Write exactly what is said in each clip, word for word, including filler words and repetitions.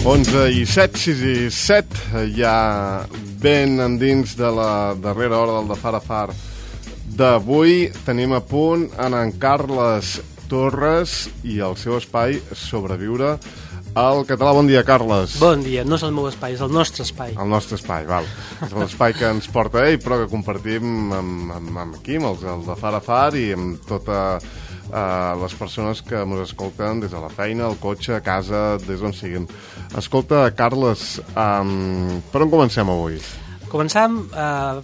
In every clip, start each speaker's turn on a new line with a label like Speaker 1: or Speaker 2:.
Speaker 1: onze i set, sis i set, ja ben endins de la darrera hora del de Far a Far d'avui. Tenim a punt en en Carles Torres i el seu espai Sobreviure al català. Bon dia, Carles.
Speaker 2: Bon dia, no és el meu espai, és el nostre espai.
Speaker 1: El nostre espai, val. És l'espai que ens porta ell, però que compartim amb, amb, amb aquí, amb els el de Far a Far i amb tota uh, les persones que ens escolten des de la feina, al cotxe, a casa, des d'on siguin. Escolta, Carles, um, per on comencem avui?
Speaker 2: Començam uh,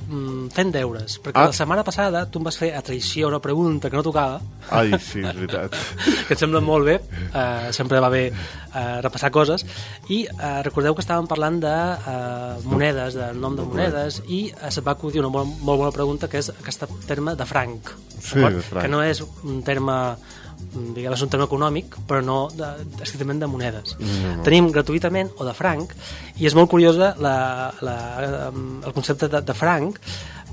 Speaker 2: fent deures, perquè ah. la setmana passada tu em vas fer a traïció una pregunta que no tocava.
Speaker 1: Ai, sí, és veritat.
Speaker 2: Que et sembla molt bé, uh, sempre va bé uh, repassar coses, i uh, recordeu que estàvem parlant de uh, monedes, de nom de monedes, i uh, se't va acudir una molt, molt bona pregunta, que és aquest terme de franc,
Speaker 1: sí, de franc,
Speaker 2: que no és un terme, diguem, és un terme econòmic, però no de, estrictament de monedes. No, no. Tenim gratuïtament o de franc, i és molt curiosa la, la, el concepte de, de franc,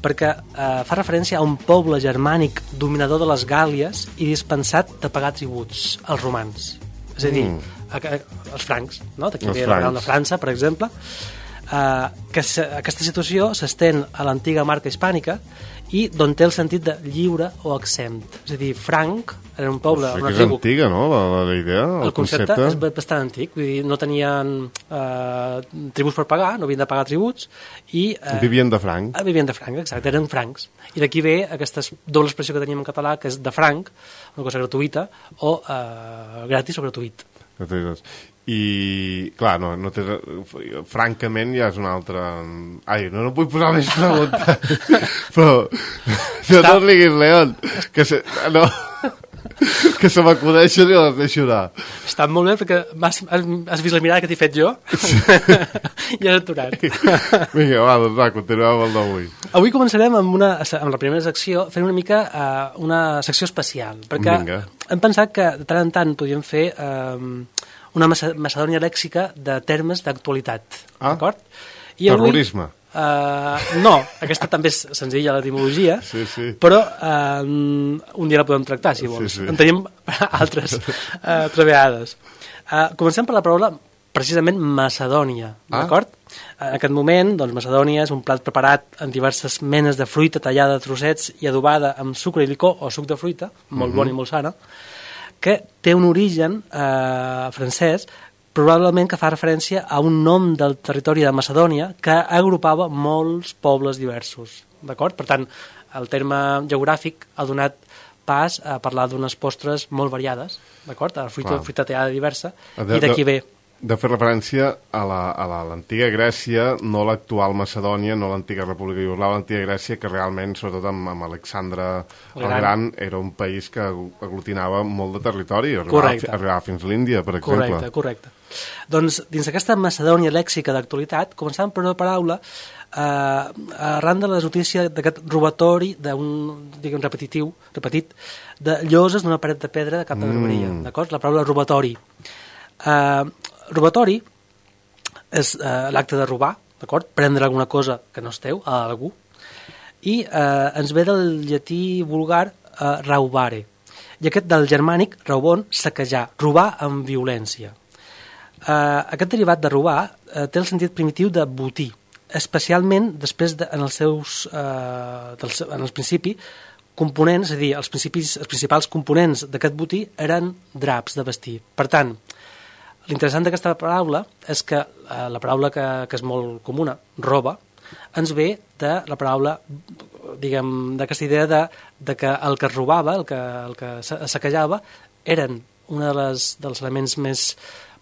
Speaker 2: perquè eh, fa referència a un poble germànic dominador de les Gàl·lies i dispensat de pagar tributs als romans. És a dir, mm. a, a, els francs, no? D'aquí ve la de França, per exemple, eh, que se, aquesta situació s'estén a l'antiga marca hispànica i d'on té el sentit de lliure o exempt. És a dir, franc era un poble...
Speaker 1: O sigui, que és antiga, no?, la, la idea, el,
Speaker 2: el concepte.
Speaker 1: concepte.
Speaker 2: És bastant antic, vull dir, no tenien eh, tributs per pagar, no havien de pagar tributs, i... Eh,
Speaker 1: vivien de franc.
Speaker 2: Eh, vivien de franc, exacte, eren francs. I d'aquí ve aquesta doble expressió que teníem en català, que és de franc, una cosa gratuïta, o eh, gratis o gratuït.
Speaker 1: I, clar, no, no té... francament ja és una altra... Ai, no, no vull posar més pregunta. Però... No te'n riguis, León. Que se... No... que se m'acudeixen i les deixo anar.
Speaker 2: Està molt bé, perquè has, has vist la mirada que t'he fet jo? Sí. I has aturat.
Speaker 1: Vinga, va, doncs va, continuem amb el d'avui.
Speaker 2: Avui començarem amb, una, amb la primera secció, fent una mica uh, una secció especial, perquè Vinga. hem pensat que de tant en tant podíem fer um, una macedònia lèxica de termes d'actualitat.
Speaker 1: Ah,
Speaker 2: d'acord?
Speaker 1: I terrorisme. Avui,
Speaker 2: Uh, no, aquesta també és senzilla, l'etimologia,
Speaker 1: sí, sí.
Speaker 2: però uh, un dia la podem tractar, si vols. Sí, sí. En tenim altres uh, vegades. Uh, comencem per la paraula, precisament, Macedònia, ah. d'acord? En aquest moment, doncs, Macedònia és un plat preparat amb diverses menes de fruita tallada a trossets i adobada amb sucre i licor o suc de fruita, molt mm-hmm. bona i molt sana, que té un origen uh, francès, probablement que fa referència a un nom del territori de Macedònia que agrupava molts pobles diversos, d'acord? Per tant, el terme geogràfic ha donat pas a parlar d'unes postres molt variades, d'acord? A la fruita, fruita tallada diversa, de, i d'aquí ve...
Speaker 1: De fer referència a l'antiga Grècia, no l'actual Macedònia, no l'antiga República Iugoslava, l'antiga Grècia, que realment, sobretot amb, amb Alexandre el Gran. Gran, era un país que aglutinava molt de territori, arribava, arribava fins a l'Índia, per exemple.
Speaker 2: Correcte, correcte. Doncs, dins d'aquesta Macedònia lèxica d'actualitat, començàvem per una paraula eh, arran de la notícia d'aquest robatori d'un, diguem, repetitiu, repetit, de lloses d'una paret de pedra de Cap de Barberia, mm. d'acord? La paraula robatori. Eh, robatori és eh, l'acte de robar, d'acord? Prendre alguna cosa que no és teu a algú, i eh, ens ve del llatí vulgar eh, raubare, i aquest del germànic raubon, saquejar, robar amb violència. Eh, aquest derivat de robar eh, té el sentit primitiu de botir, especialment després de, en els seus eh, dels, en el principi components, és a dir, els, principis, els principals components d'aquest botí eren draps de vestir. Per tant, l'interessant d'aquesta paraula és que eh, la paraula que, que és molt comuna, roba, ens ve de la paraula, diguem, d'aquesta idea de, de que el que es robava, el que, el que saquejava, eren un de les, dels elements més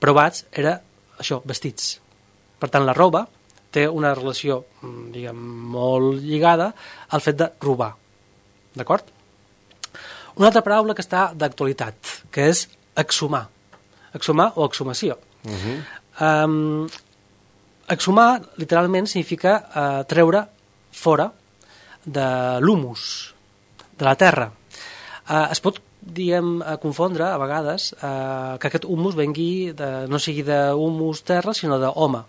Speaker 2: provats, era això, vestits. Per tant, la roba té una relació, diguem, molt lligada al fet de robar. D'acord? Una altra paraula que està d'actualitat, que és exhumar. Exhumar o exhumació. Uh-huh. Um, exhumar, literalment, significa uh, treure fora de l'humus, de la terra. Uh, es pot, diguem, confondre, a vegades, uh, que aquest humus vengui de, no sigui d'humus terra, sinó d'home.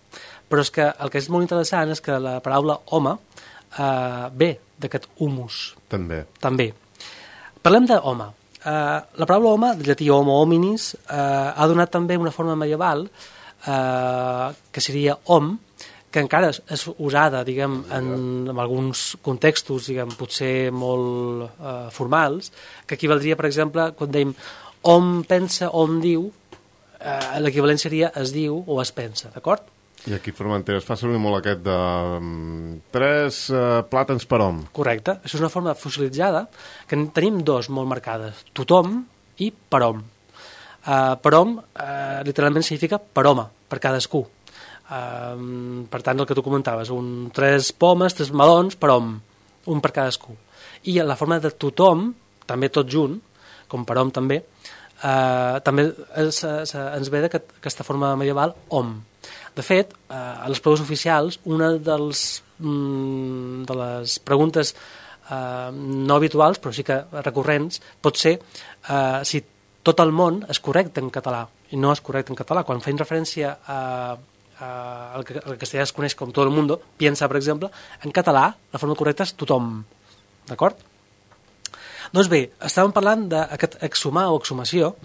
Speaker 2: Però és que el que és molt interessant és que la paraula home uh, ve d'aquest humus.
Speaker 1: També.
Speaker 2: També. Parlem d'home. Uh, la paraula home, del llatí homo hominis, uh, ha donat també una forma medieval eh, que seria om, que encara és usada, diguem, en, en alguns contextos, diguem, potser molt eh, formals, que equivaldria, per exemple, quan dèiem om pensa, om diu, eh, l'equivalent seria es diu o es pensa, d'acord?
Speaker 1: I aquí a Formentera es fa servir molt aquest de um, tres uh, plàtans per hom.
Speaker 2: Correcte. Això és una forma fossilitzada que en tenim dos molt marcades, tothom i per hom. Uh, per hom uh, literalment significa per home, per cadascú. Uh, per tant, el que tu comentaves, un, tres pomes, tres melons per hom, un per cadascú. I la forma de tothom, també tot junt, com per hom també, uh, també es, es, ens ve d'aquesta forma medieval hom. De fet, eh, a les proves oficials, una dels, mm, de les preguntes eh, no habituals, però sí que recurrents, pot ser eh, si tot el món és correcte en català, i no és correcte en català. Quan feim referència a, a, al que el castellà es coneix com tot el mundo, piensa, per exemple, en català la forma correcta és tothom, d'acord? Doncs bé, estàvem parlant d'aquest exhumar o exhumació,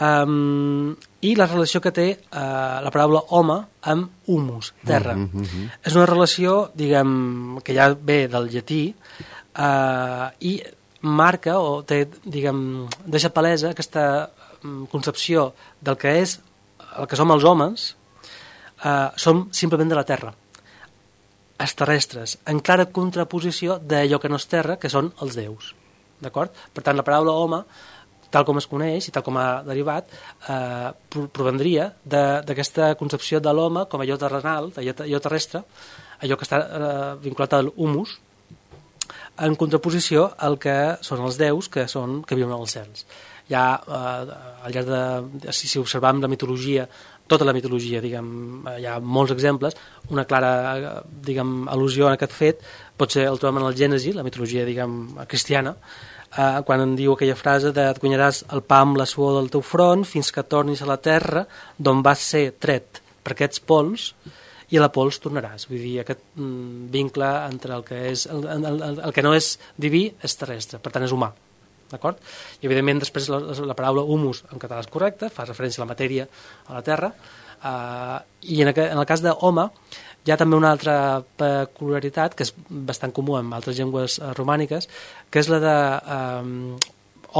Speaker 2: Um, i la relació que té uh, la paraula home amb humus, terra. Uh, uh, uh. És una relació, diguem, que ja ve del llatí uh, i marca o té, diguem, deixa palesa aquesta um, concepció del que és el que som els homes, uh, som simplement de la terra, els terrestres, en clara contraposició d'allò que no és terra, que són els déus, d'acord? Per tant, la paraula home, tal com es coneix i tal com ha derivat, eh, provendria d'aquesta concepció de l'home com allò terrenal, allò terrestre, allò que està eh, vinculat al humus, en contraposició al que són els déus, que són que viuen als cels. Ja, eh, al llarg de, si, si observam la mitologia, tota la mitologia, diguem, hi ha molts exemples, una clara, diguem, al·lusió en aquest fet pot ser el trobem en el Gènesi, la mitologia, diguem, cristiana, Uh, quan en diu aquella frase de et guanyaràs el pa amb la suor del teu front fins que tornis a la terra d'on vas ser tret per aquests pols i a la pols tornaràs. Vull dir, aquest mm, vincle entre el que, és, el, el, el, el que no és diví és terrestre, per tant és humà. D'acord? I evidentment després la, la paraula humus en català és correcta, fa referència a la matèria, a la terra, uh, i en, en el cas d'home hi ha també una altra peculiaritat que és bastant comú en altres llengües uh, romàniques, que és la de um,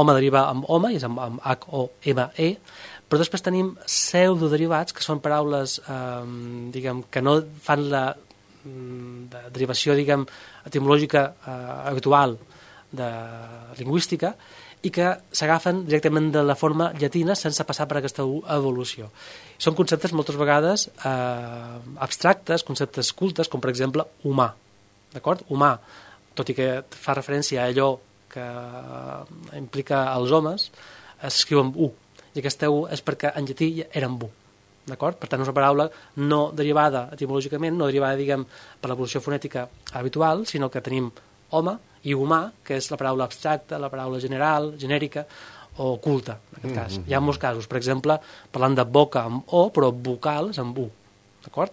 Speaker 2: home deriva amb home, i és amb, amb H O M E, però després tenim pseudoderivats, que són paraules um, diguem, que no fan la de derivació diguem, etimològica uh, habitual de lingüística, i que s'agafen directament de la forma llatina sense passar per aquesta evolució. Són conceptes moltes vegades eh, abstractes, conceptes cultes, com per exemple humà. D'acord? Humà, tot i que fa referència a allò que implica els homes, s'escriu amb U, i aquesta U és perquè en llatí era amb U. D'acord? Per tant, és una paraula no derivada etimològicament, no derivada, diguem, per l'evolució fonètica habitual, sinó que tenim home i humà, que és la paraula abstracta, la paraula general, genèrica o culta, en aquest cas. Mm-hmm. Hi ha molts casos, per exemple, parlant de boca amb O, però vocals amb U, d'acord?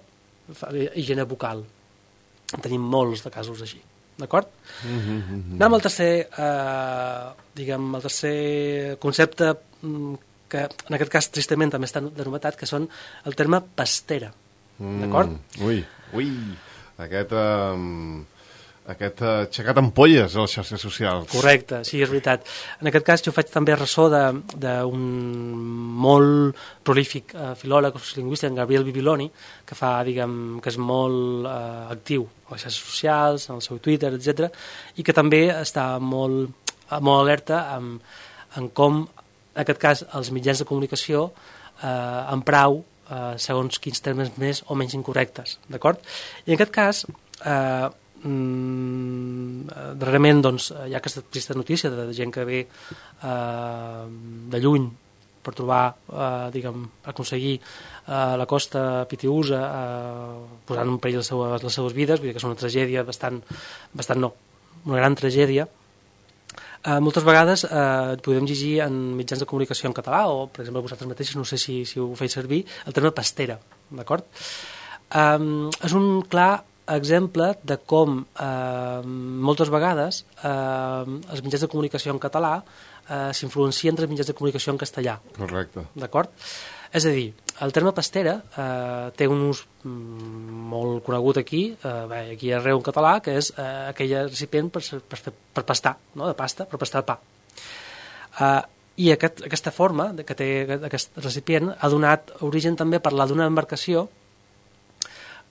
Speaker 2: Higiene vocal. Tenim molts de casos així, d'acord? Mm-hmm. Anem al tercer, eh, diguem, el tercer concepte que, en aquest cas, tristament també està de novetat, que són el terme pastera, d'acord?
Speaker 1: Mm, ui, ui, aquest... Um... aquest aixecat ampolles a les xarxes socials.
Speaker 2: Correcte, sí, és veritat. En aquest cas jo faig també ressò d'un molt prolífic eh, filòleg sociolingüista, en Gabriel Bibiloni, que fa, diguem, que és molt eh, actiu a les xarxes socials, en el seu Twitter, etcètera, i que també està molt, molt alerta en, en com, en aquest cas, els mitjans de comunicació eh, emprau eh, segons quins termes més o menys incorrectes, d'acord? I en aquest cas, eh, Mm, darrerament doncs, hi ha aquesta trista notícia de gent que ve eh, de lluny per trobar, eh, diguem, aconseguir eh, la costa Pitiusa eh, posant en perill les seues, les seues vides, vull dir que és una tragèdia bastant, bastant no, una gran tragèdia. Eh, moltes vegades eh, podem llegir en mitjans de comunicació en català o, per exemple, vosaltres mateixos, no sé si, si ho feu servir, el terme pastera, d'acord? Eh, és un clar exemple de com eh, moltes vegades eh, els mitjans de comunicació en català eh, s'influencien dels mitjans de comunicació en castellà.
Speaker 1: Correcte.
Speaker 2: D'acord? És a dir, el terme pastera eh, té un ús mm, molt conegut aquí, eh, bé, aquí arreu en català, que és eh, aquell recipient per, per, per pastar, no? De pasta, per pastar el pa. Eh, I aquest, aquesta forma que té aquest recipient ha donat origen també a parlar d'una embarcació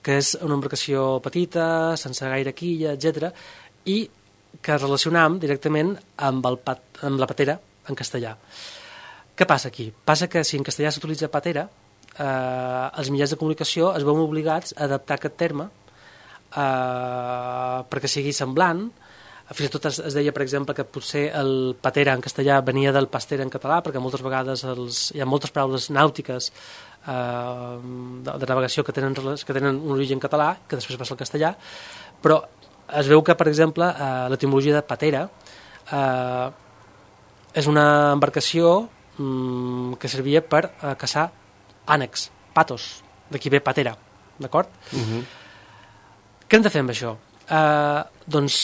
Speaker 2: que és una embarcació petita, sense gaire quilla, etcètera, i que relacionam directament amb, el pat, amb la patera en castellà. Què passa aquí? Passa que si en castellà s'utilitza patera, eh, els mitjans de comunicació es veuen obligats a adaptar aquest terme eh, perquè sigui semblant. Fins i tot es, es deia, per exemple, que potser el patera en castellà venia del pastera en català, perquè moltes vegades els, hi ha moltes paraules nàutiques eh, de, de navegació que tenen, que tenen un origen català, que després passa al castellà, però es veu que, per exemple, eh, l'etimologia de patera eh, és una embarcació que servia per uh, caçar ànecs, patos, d'aquí ve patera, d'acord? Uh-huh. Què hem de fer amb això? Uh, doncs,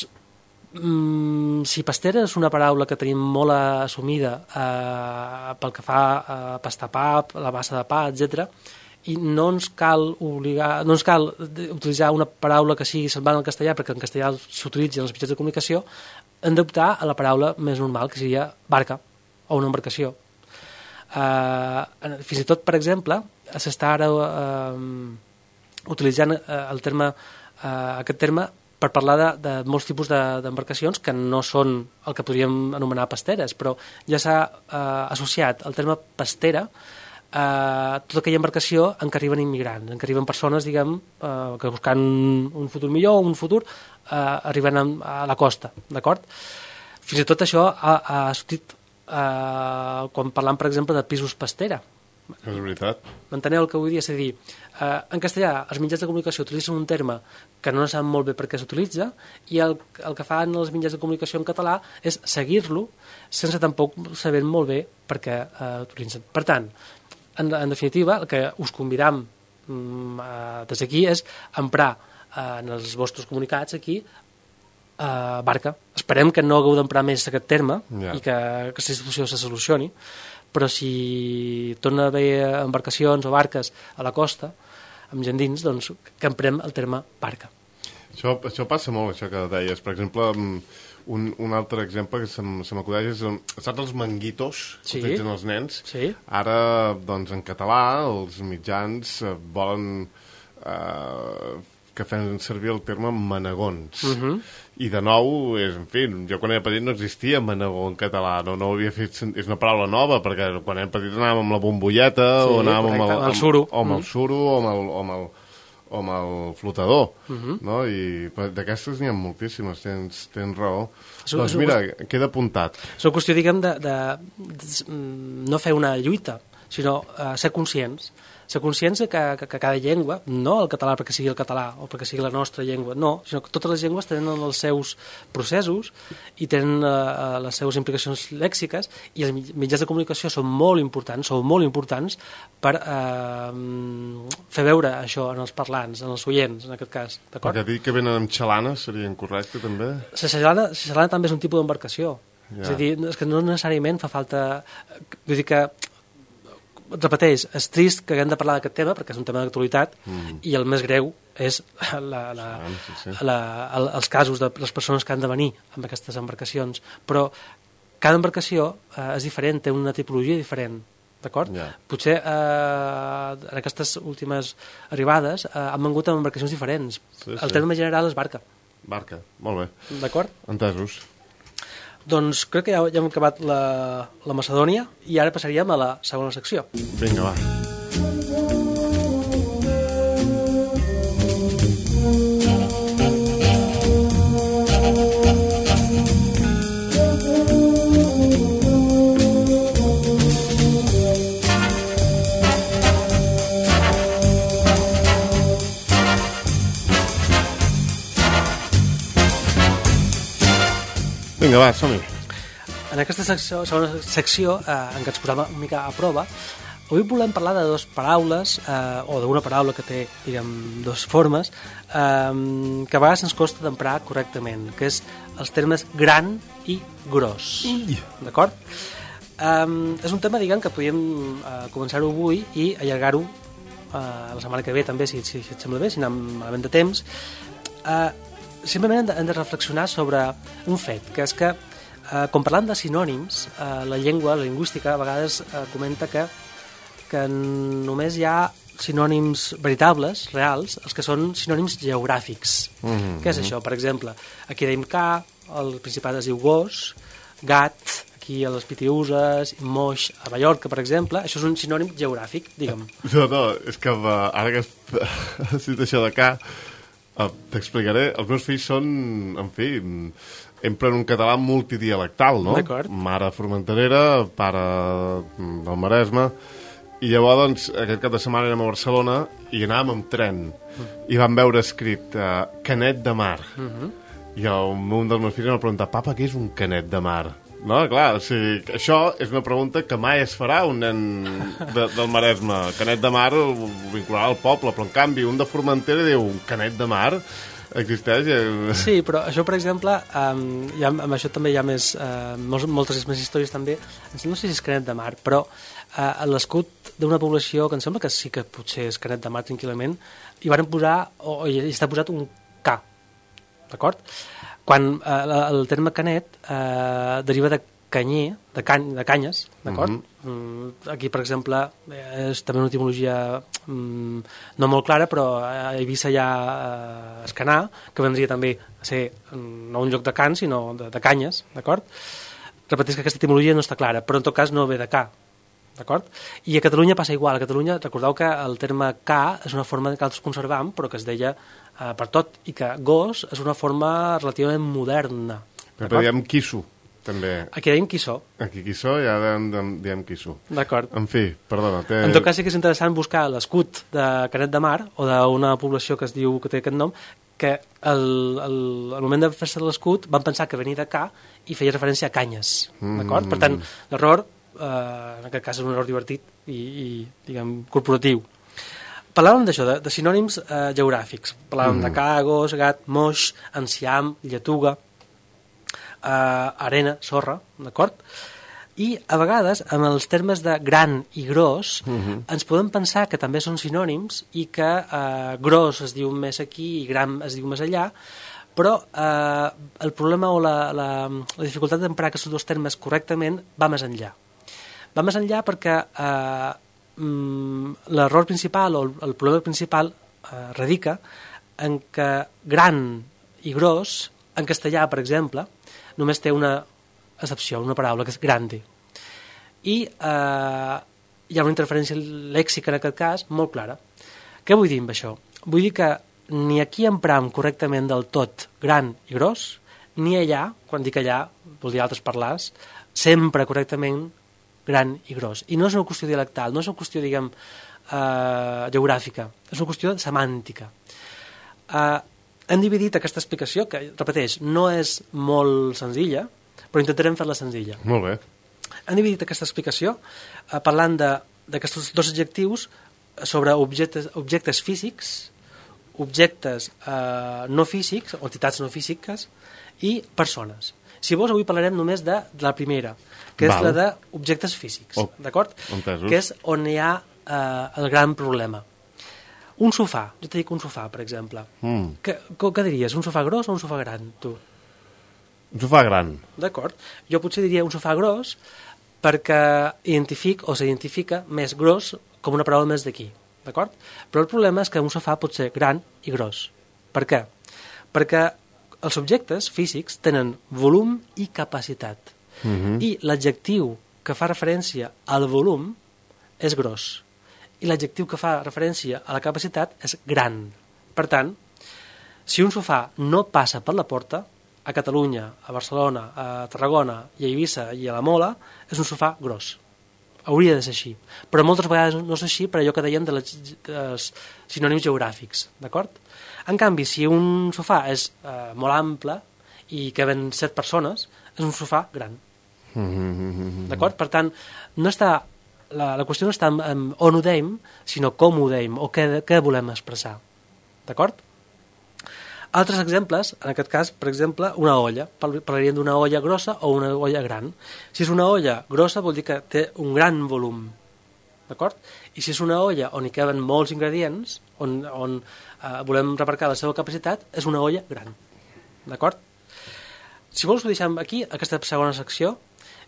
Speaker 2: um, si pastera és una paraula que tenim molt assumida uh, pel que fa a uh, pastar pa, la massa de pa, etcètera, i no ens cal obligar, no ens cal utilitzar una paraula que sigui semblant al castellà, perquè en castellà s'utilitza en els mitjans de comunicació, hem d'optar a la paraula més normal, que seria barca, o una embarcació. Uh, fins i tot, per exemple, s'està ara uh, utilitzant uh, el terme, uh, aquest terme per parlar de, de molts tipus d'embarcacions de, que no són el que podríem anomenar pasteres, però ja s'ha uh, associat el terme pastera a tota aquella embarcació en què arriben immigrants, en què arriben persones, diguem, uh, que buscant un futur millor, un futur, uh, arriben a, a la costa, d'acord? Fins i tot això ha, ha sortit Uh, quan parlam, per exemple, de pisos pastera.
Speaker 1: És veritat.
Speaker 2: M'enteneu el que vull dir? És a dir, uh, en castellà els mitjans de comunicació utilitzen un terme que no saben molt bé per què s'utilitza, i el, el que fan els mitjans de comunicació en català és seguir-lo sense tampoc saber molt bé per què uh, utilitzen. Per tant, en, en definitiva, el que us convidam um, uh, des d'aquí és emprar uh, en els vostres comunicats aquí Uh, barca. Esperem que no hagueu d'emprar més aquest terme, yeah, i que aquesta situació se solucioni, però si torna a haver embarcacions o barques a la costa amb gent dins, doncs que emprem el terme barca.
Speaker 1: Això, això passa molt, això que deies. Per exemple, un, un altre exemple que se m'acudeix és, saps els manguitos que sí, utilitzen els nens? Sí. Ara, doncs, en català, els mitjans volen eh, que fem servir el terme manegons. Uh-huh. I de nou, és, en fi, jo quan era petit no existia manegó en català, no, no ho havia fet, és una paraula nova, perquè quan era petit anàvem amb la bombolleta, sí, o anàvem amb el, amb, el suro, o amb el suro, o amb el, o amb el, o amb el flotador, uh-huh, no? I d'aquestes n'hi ha moltíssimes, tens, tens raó. So, doncs mira, so, queda apuntat.
Speaker 2: És una qüestió, diguem, de, de, de no fer una lluita, sinó uh, ser conscients. Ser conscients que, que, que cada llengua, no el català perquè sigui el català o perquè sigui la nostra llengua, no, sinó que totes les llengües tenen els seus processos i tenen uh, les seves implicacions lèxiques, i els mitjans de comunicació són molt importants, són molt importants per uh, fer veure això en els parlants, en els oients, en aquest cas.
Speaker 1: Perquè dir que venen amb xalana seria incorrecte, també?
Speaker 2: La xalana, la xalana també és un tipus d'embarcació. Ja. És a dir, és que no necessàriament fa falta... Vull dir que repeteix, és trist que haguem de parlar d'aquest tema perquè és un tema d'actualitat, mm, i el més greu és la, la, sí, sí, sí. La, el, els casos de les persones que han de venir amb aquestes embarcacions, però cada embarcació eh, és diferent, té una tipologia diferent, d'acord? Yeah. Potser eh, en aquestes últimes arribades eh, han vengut amb embarcacions diferents. Sí, sí. El terme general és barca.
Speaker 1: Barca, molt bé.
Speaker 2: D'acord?
Speaker 1: Entesos.
Speaker 2: Doncs crec que ja, ja hem acabat la, la Macedònia, i ara passaríem a la segona secció.
Speaker 1: Vinga, va. Vinga, va, som-hi.
Speaker 2: En aquesta secció, segona secció, eh, en què ens posem una mica a prova, avui volem parlar de dues paraules, eh, o d'una paraula que té, diguem, dues formes, eh, que a vegades ens costa d'emprar correctament, que és els termes gran i gros. D'acord? Um, és un tema, diguem, que podíem uh, començar-ho avui i allargar-ho uh, la setmana que ve també, si, si, si et sembla bé, si anem malament de temps. Uh, simplement hem de, hem de reflexionar sobre un fet, que és que uh, quan parlant de sinònims, uh, la llengua, la lingüística, a vegades uh, comenta que, que només hi ha sinònims veritables, reals, els que són sinònims geogràfics. Mm-hmm. Què és això? Per exemple, aquí deim ca, al Principat es diu gos, gat, aquí a les Pitiüses, moix a Mallorca, per exemple, això és un sinònim geogràfic, digue'm.
Speaker 1: No, no, és que uh, ara que has dit això de ca, uh, t'explicaré, els meus fills són, en fi, empren un català multidialectal, no?
Speaker 2: D'acord.
Speaker 1: Mare formenterera, pare del Maresme, i llavors, doncs, aquest cap de setmana érem a Barcelona i anàvem amb tren, mm. i vam veure escrit uh, Canet de Mar. Mm-hmm. I el, un dels meus fills em va preguntar, papa, què és un canet de mar? No, clar, o sigui, això és una pregunta que mai es farà un nen de, del Maresme. Canet de Mar ho vincularà al poble, però en canvi un de Formentera diu un Canet de Mar existeix.
Speaker 2: Sí, però això, per exemple, um, ha, amb això també hi ha més, uh, molts, moltes més històries també. No sé si és Canet de Mar, però uh, l'escut d'una població que em sembla que sí que potser és Canet de Mar tranquil·lament, hi van posar, o, o hi està posat un K, d'acord? Quan eh, el terme canet eh, deriva de canyer, de, can, de canyes, d'acord? Mm-hmm. Mm, aquí, per exemple, és també una etimologia mm, no molt clara, però a Eivissa hi ha eh, escanar, que vendria també a ser mm, no un lloc de can, sinó de, de canyes, d'acord? Repeteix que aquesta etimologia no està clara, però en tot cas no ve de ca, d'acord? I a Catalunya passa igual. A Catalunya, recordeu que el terme ca és una forma que altres conservam, però que es deia Uh, per tot, i que gos és una forma relativament moderna.
Speaker 1: Però diem quisso, també.
Speaker 2: Aquí dèiem quisso.
Speaker 1: Aquí quisso, ja diem, diem quisso.
Speaker 2: D'acord.
Speaker 1: En fi, perdona. Té...
Speaker 2: En tot cas sí que és interessant buscar l'escut de Canet de Mar, o d'una població que es diu que té aquest nom, que el, el, al moment de fer-se l'escut van pensar que venia de ca i feia referència a canyes, mm. d'acord? Per tant, l'error, eh, en aquest cas és un error divertit i, i diguem, corporatiu. Parlàvem d'això, de, de sinònims eh, geogràfics. Parlàvem mm. de ca, gos, gat, moix, enciam, lletuga, eh, arena, sorra, d'acord? I a vegades, amb els termes de gran i gros, mm-hmm. ens podem pensar que també són sinònims i que eh, gros es diu més aquí i gran es diu més allà, però eh, el problema o la, la, la dificultat d'emprar aquests dos termes correctament va més enllà. Va més enllà perquè eh, l'error principal o el problema principal eh, radica en que gran i gros, en castellà, per exemple, només té una excepció, una paraula, que és grande. I eh, hi ha una interferència lèxica, en aquest cas, molt clara. Què vull dir amb això? Vull dir que ni aquí empram correctament del tot gran i gros, ni allà, quan dic allà, vol dir altres parlars, sempre correctament gran i gros. I no és una qüestió dialectal, no és una qüestió, diguem, eh, geogràfica, és una qüestió semàntica. Eh, hem dividit aquesta explicació, que, repeteix, no és molt senzilla, però intentarem fer-la senzilla.
Speaker 1: Molt bé.
Speaker 2: Hem dividit aquesta explicació eh, parlant d'aquests dos adjectius sobre objectes, objectes físics, objectes eh, no físics, o entitats no físiques, i persones. Si vols, avui parlarem només de, de la primera, que Val. és la d'objectes físics, oh, d'acord? Que és on hi ha eh, el gran problema. Un sofà, jo t'he dit un sofà, per exemple. Mm. Què, què diries, un sofà gros o un sofà gran, tu?
Speaker 1: Un sofà gran.
Speaker 2: D'acord. Jo potser diria un sofà gros perquè identific o s'identifica més gros com una paraula més d'aquí, d'acord? Però el problema és que un sofà pot ser gran i gros. Per què? Perquè els objectes físics tenen volum i capacitat. Mm-hmm. I l'adjectiu que fa referència al volum és gros. I l'adjectiu que fa referència a la capacitat és gran. Per tant, si un sofà no passa per la porta, a Catalunya, a Barcelona, a Tarragona, i a Eivissa i a la Mola, és un sofà gros. Hauria de ser així. Però moltes vegades no és així per allò que dèiem de les, dels sinònims geogràfics, d'acord? En canvi, si un sofà és eh, molt ample i caben set persones, és un sofà gran. Mm-hmm. D'acord? Per tant, no està, la, la qüestió no està en, en on ho deim, sinó com ho deim o què, què volem expressar. D'acord? Altres exemples, en aquest cas, per exemple, una olla. Parlaríem d'una olla grossa o una olla gran. Si és una olla grossa vol dir que té un gran volum, d'acord? I si és una olla on hi caben molts ingredients, on, on eh, volem remarcar la seva capacitat, és una olla gran, d'acord? Si vols ho deixem aquí, aquesta segona secció,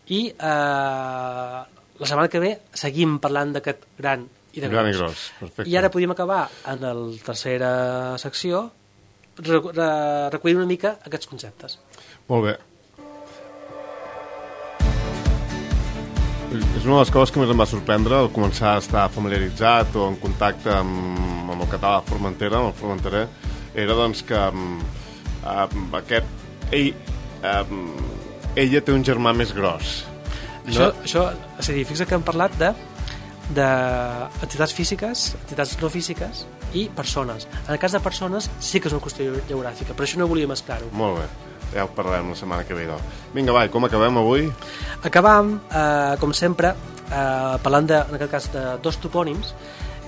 Speaker 2: i eh, la setmana que ve seguim parlant d'aquest gran i de
Speaker 1: gran
Speaker 2: gros.
Speaker 1: i gros, perfecte.
Speaker 2: I ara podríem acabar en la tercera secció recollint una mica aquests conceptes.
Speaker 1: Molt bé. És una de les coses que més em va sorprendre al començar a estar familiaritzat o en contacte amb, amb el català de Formentera, amb el formenterer, era doncs que um, um, aquest ell, um, ella té un germà més gros.
Speaker 2: Això,
Speaker 1: No?
Speaker 2: això, és a dir, fixa que hem parlat de d'entitats físiques, entitats no físiques i persones. En el cas de persones sí que és una qüestió geogràfica, però això no volia mesclar-ho.
Speaker 1: Molt bé, ja ho parlarem la setmana que ve. Doncs. Vinga, va, com acabem avui?
Speaker 2: Acabam, eh, com sempre, eh, parlant, de, en aquest cas, de dos topònims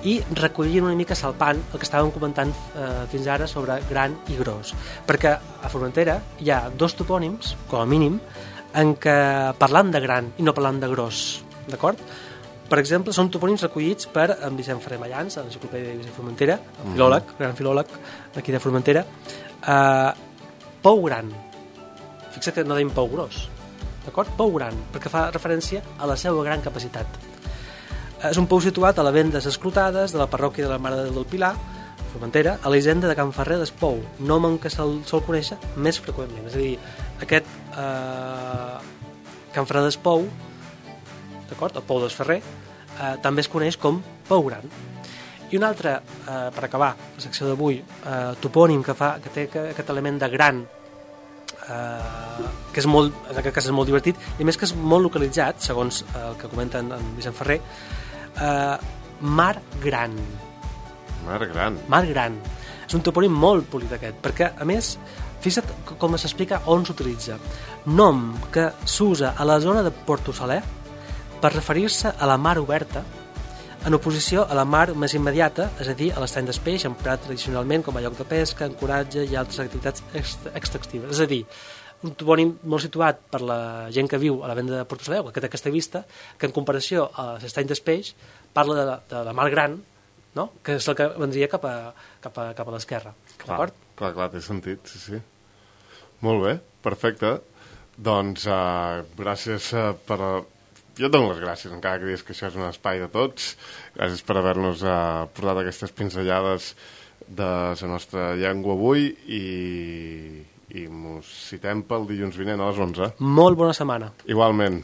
Speaker 2: i recollint una mica salpant el que estàvem comentant eh, fins ara sobre gran i gros. Perquè a Formentera hi ha dos topònims, com a mínim, en què parlant de gran i no parlant de gros, d'acord? Per exemple, són topònims recollits per en Vicent Ferrer Mallans, a l'Enciclopèdia de Vicent Formentera, el filòleg, mm. gran filòleg d'aquí de Formentera. Uh, pou gran. Fixa que no deim pou gros, d'acord? Pou gran, perquè fa referència a la seva gran capacitat. Uh, és un pou situat a la venda des Esclotades, de la parròquia de la Mare de Déu del Pilar, Formentera, a la hisenda de Can Ferrer d'Espou, nom en què se'l sol conèixer més freqüentment. És a dir, aquest uh, Can Ferrer d'Espou, d'acord? El Pou d'Esferrer, eh, també es coneix com Pou Gran. I un altre, eh, per acabar la secció d'avui, eh, topònim que, fa, que té aquest element de gran, eh, que és molt, en aquest cas és molt divertit, i a més que és molt localitzat, segons eh, el que comenta en, en Vicent Ferrer, eh, Mar Gran.
Speaker 1: Mar Gran.
Speaker 2: Mar Gran. És un topònim molt polit aquest, perquè, a més, fixa't com s'explica on s'utilitza. Nom que s'usa a la zona de Porto Saler per referir-se a la mar oberta en oposició a la mar més immediata, és a dir, a l'estany d'Espeix, emprat tradicionalment com a lloc de pesca, ancoratge i altres activitats extractives. És a dir, un topònim molt situat per la gent que viu a la venda de Porto Saler, que té aquesta vista, que en comparació a l'estany d'Espeix parla de la, de la mar gran, no? Que és el que vendria cap a, cap a, cap a l'esquerra.
Speaker 1: Clar, clar, clar, té sentit, sí, sí. Molt bé, perfecte. Doncs uh, gràcies uh, per... Jo et dono les gràcies, encara que dius que això és un espai de tots. Gràcies per haver-nos uh, portat aquestes pinzellades de la nostra llengua avui i, i mos citem pel dilluns vinent a les onze.
Speaker 2: Molt bona setmana.
Speaker 1: Igualment.